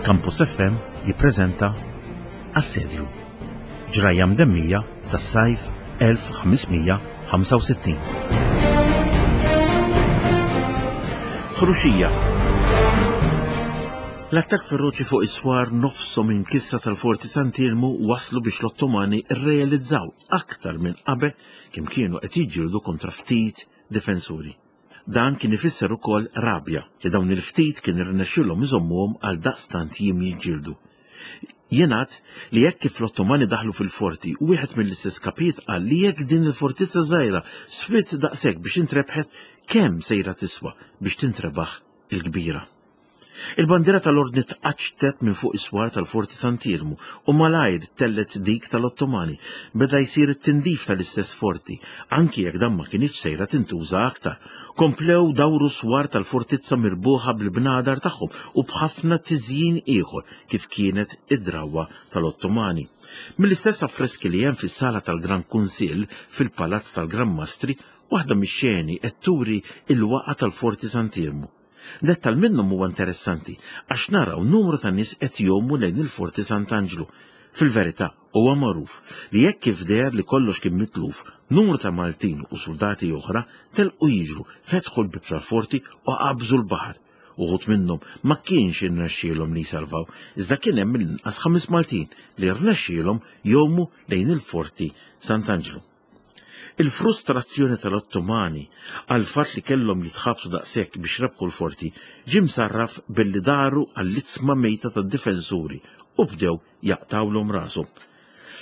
Campus FM jippreżenta Assedju. Ġrajja mdemmija tas-sajf 1565. Ħruxija. L-attakk feroċi fuq is-swar nofshom imkissra tal-Forti Sant'Iermu waslu biex l-Ottomani rrealizzaw aktar minn qabel kemm kienu qed jiġġieldu kontra ftit difensuri. Dan kien ifisser ukoll rabja li dawn il-ftit kien irnexxielhom iżommuhom għal daqstant jiem jiġġieldu. Jingħad li hekk kif l-Ottomani daħlu fil-forti, wieħed mill-istess kapijiet qal li jekk din il-fortizza żgħira swiet daqshekk biex intrebħet, kemm sejra tiswa biex tintrebaħ il-kbira. Il-bandiera tal-Ordni tqaċċtet minn fuq is-swar tal-Forti Sant'Iermu u malajr tellgħet dik tal-Ottomani. Beda jsir it-tindif tal-istess forti, anki jekk dan ma kinitx sejra tintuża aktar. Komplew dawru s-swar tal-fortizza mirbuħa bil-bnadar tagħhom u b'ħafna tiżjin ieħor kif kienet id-drawwa tal-Ottomani. Mill-istess affreski li hemm fis-sala tal-Gran Kunsill fil-Palazz tal-Gran Mastri, waħda mix-xeni qed turi l-waqgħa tal-Forti Sant'Iermu. Dettal minnhom huwa interessanti għax naraw numru ta' nies qed jgħumu lejn il-Forti Sant'Anġlu. Fil-verità, huwa magħruf li hekk kif deher li kollox kien mitluf, numru ta' Maltin u suldati oħra telqu jiġru, fetħu l-bieb tal-forti u qabżu l-baħar. Uħud minnhom ma kienx irnexxielhom li jsalvaw, iżda kien hemm mill-inqas ħames Maltin li rnexxielhom jgħumu lejn il-Forti Sant'Anġlu. Il-frustrazzjoni tal-Ottomani għall-fatt li kellhom jitħabtu daqshekk biex rebħu l-forti ġie msarraf billi daru għall-itzma mejta tad-difensuri u bdew jaqtgħulhom rashom.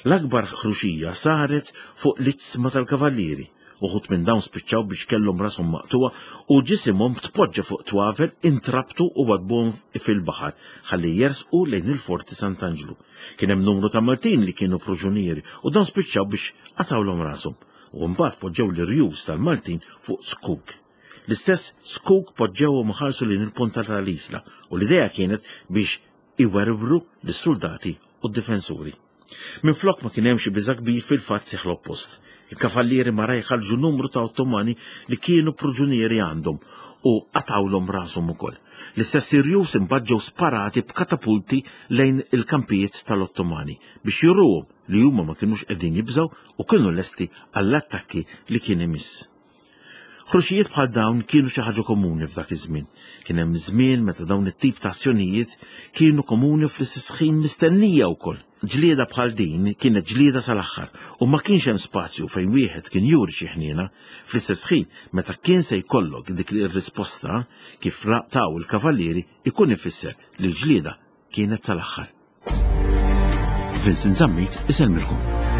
L-akbar ħruxija saret fuq l-iġsma tal-kavallieri. Uħud minn dawn spiċċaw biex kellhom rashom maqtugħa u ġisimhom tpoġġa fuq twavel intrabtu u wadbuhom fil-baħar ħalli jersqu lejn il-Forti Sant'Anġlu. Kien hemm numru ta' Maltin li kienu proġunieri u dawn spiċċaw biex qatgħulhom rashom u mbagħad poġġew l-irjus tal-Maltin fuq zkuk. L-istess zkuk poġġewhom iħarsu lejn il-ponta tal-Isla u l-idea kienet biex iwerwru lis-suldati u d-difensuri. Minflok ma kien hemm xi biża' kbir fil-fatt seħħ l-oppost. Il-kavallieri maraj ħarġu numru ta' Ottomani li kienu proġunieri għandhom u qatgħulhom rashom ukoll. L-istess irjus imbagħad ġew sparati b'katapulti lejn il-kampijiet tal-Ottomani biex juruhom li huma ma kinux qegħdin jibżgħu u kienu lesti għall-attakki li kien imiss. Ħruxijiet bħal dawn kienu xi ħaġa komuni f'dak iż-żmien. Kien hemm żmien meta dawn it-tip ta' azzjonijiet kienu komuni fl-istess ħin mistennija wkoll. Ġlieda bħal din kienet ġlieda sal-aħħar u ma kienx hemm spazju fejn wieħed kien juri xi ħniena. Fl-istess ħin, meta kien se jkollok dik ir-risposta kif taw il-kavallieri ikun ifisser li l-ġlieda kienet sal-aħħar. Vincent Zammit isellmilkom.